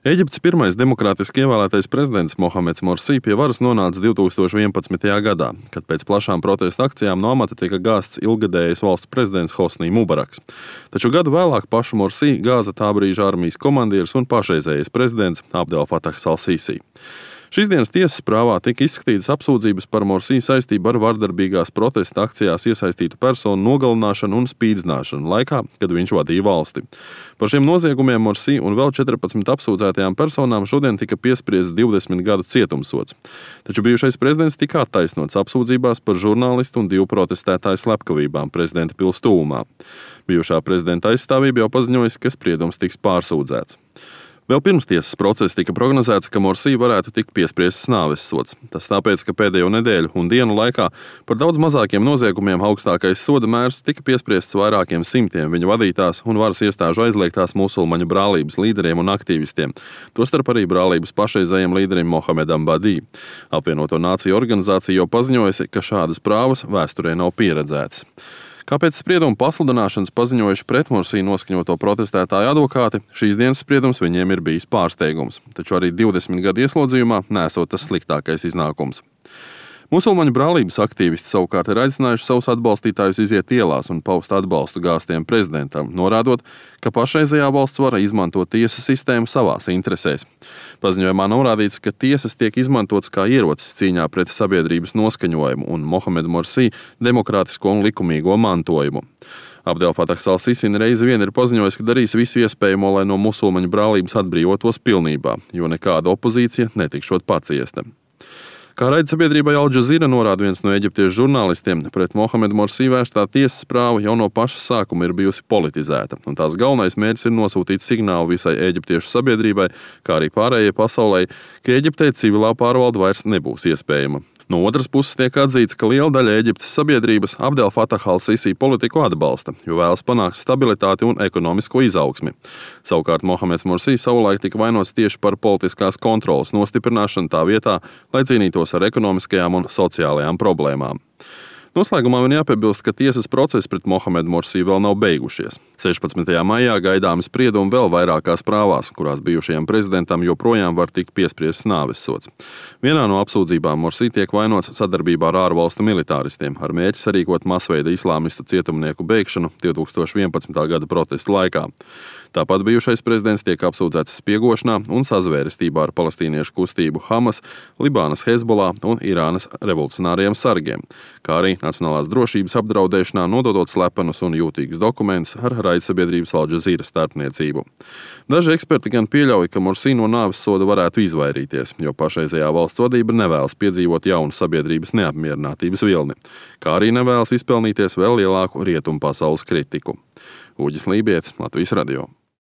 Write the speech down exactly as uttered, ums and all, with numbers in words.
Ēģiptes pirmais demokrātiski ievēlētais prezidents Mohameds Morsi pie varas nonāca divtūkstoš vienpadsmitajā gadā, kad pēc plašām protesta akcijām no amata tika gāzts ilggadējais valsts prezidents Hosnī Mubaraks. Taču gadu vēlāk pašu Morsi gāza tā brīža armijas komandieris un pašreizējais prezidents Abdel Fatahs al-Sīsī. Šīs dienas tiesas prāvā tika izskatītas apsūdzības par Morsi saistību ar vardarbīgās protesta akcijās iesaistītu personu nogalināšanu un spīdzināšanu laikā, kad viņš vadīja valsti. Par šiem noziegumiem Morsi un vēl četrpadsmit apsūdzētajām personām šodien tika piespriests divdesmit gadu cietumsods. Taču bijušais prezidents tika attaisnots apsūdzībās par žurnālistu un divu protestētāju slepkavībām prezidenta pils tuvumā. Bijušā prezidenta aizstāvība jau paziņojusi, ka spriedums tiks pārsūdzēts. Vēl pirms tiesas procesa tika prognozēts, ka Morsi varētu tikt piespriests nāves sods. Tas tāpēc, ka pēdējo nedēļu un dienu laikā par daudz mazākiem noziegumiem augstākais soda mērs tika piespriests vairākiem simtiem viņa vadītās un varas iestāžu aizliegtās musulmaņu brālības līderiem un aktīvistiem, tostarp arī brālības pašreizējiem līderim Mohamedam Badī. Apvienoto Nāciju organizācija jau paziņojusi, ka šādas prāvas vēsturē nav pieredzētas. Kāpēc spriedumu pasludināšanas paziņojuši pret Morsi noskaņoto protestētāju advokāti, šīs dienas spriedums viņiem ir bijis pārsteigums, taču arī divdesmit gadu ieslodzījumā nesot tas sliktākais iznākums. Musulmaņu brālības aktīvisti savukārt ir aicinājuši savus atbalstītājus iziet ielās un paust atbalstu gāztiem prezidentam, norādot, ka pašreizējā valsts vara izmanto tiesu sistēmu savās interesēs. Paziņojumā norādīts, ka tiesas tiek izmantotas kā ierocis cīņā pret sabiedrības noskaņojumu un Mohamedu Morsi demokrātisko un likumīgo mantojumu. Abdel Fatahs al-Sīsī reizi vien ir paziņojis, ka darīs visu iespējamo, lai no musulmaņu brālības atbrīvotos pilnībā, jo nekāda opozīcija netikšot paciesta. Kā raidsabiedrībai Al Jazeera norāda viens no eģiptiešu žurnālistiem, pret Mohamedu Morsi vērstā tiesas prāva jau no paša sākuma ir bijusi politizēta, un tās galvenais mērķis ir nosūtīt signālu visai eģiptiešu sabiedrībai, kā arī pārējai pasaulē, ka Eģiptē civilā pārvalde vairs nebūs iespējama. No otras puses tiek atzīts, ka liela daļa Eģiptes sabiedrības Abdel Fatah al-Sīsī politiku atbalsta, jo vēlas panākt stabilitāti un ekonomisko izaugsmi. Savukārt Mohameds Morsi savulaik tika vainots tieši par politiskās kontroles nostiprināšanu tā vietā, lai cīnītos ar ekonomiskajām un sociālajām problēmām. Noslēgumā man jāpiebilst, ka tiesas procesi pret Mohamedu Morsi vēl nav beigušies. sešpadsmitajā maijā gaidāmi spriedumi vēl vairākās prāvās, kurās bijušajam prezidentam joprojām var tikt piespriests nāves sods. Vienā no apsūdzībām Morsi tiek vainots sadarbībā ar ārvalstu militāristiem, ar mērķi sarīkot masveida islāmistu cietumnieku bēgšanu divtūkstoš vienpadsmitā gada protestu laikā. Tāpat bijušais prezidents tiek apsūdzēts spiegošanā un sazvērestībā ar palestīniešu kustību Hamas, Libānas Hezbollah un Irānas revolucionāriem sargiem, kā arī nacionālās drošības apdraudēšanā nododot slepenus un jūtīgus dokumentus ar raidsabiedrības Al Jazeera starpniecību. Daži eksperti gan pieļauj, ka Morsi no nāves soda varētu izvairīties, jo pašreizējā valsts vadība nevēlas piedzīvot jaunu sabiedrības neapmierinātības vilni, kā arī nevēlas izpelnīties vēl lielāku rietumu pasaules kritiku. Uģis Lībietis, Latvijas radio.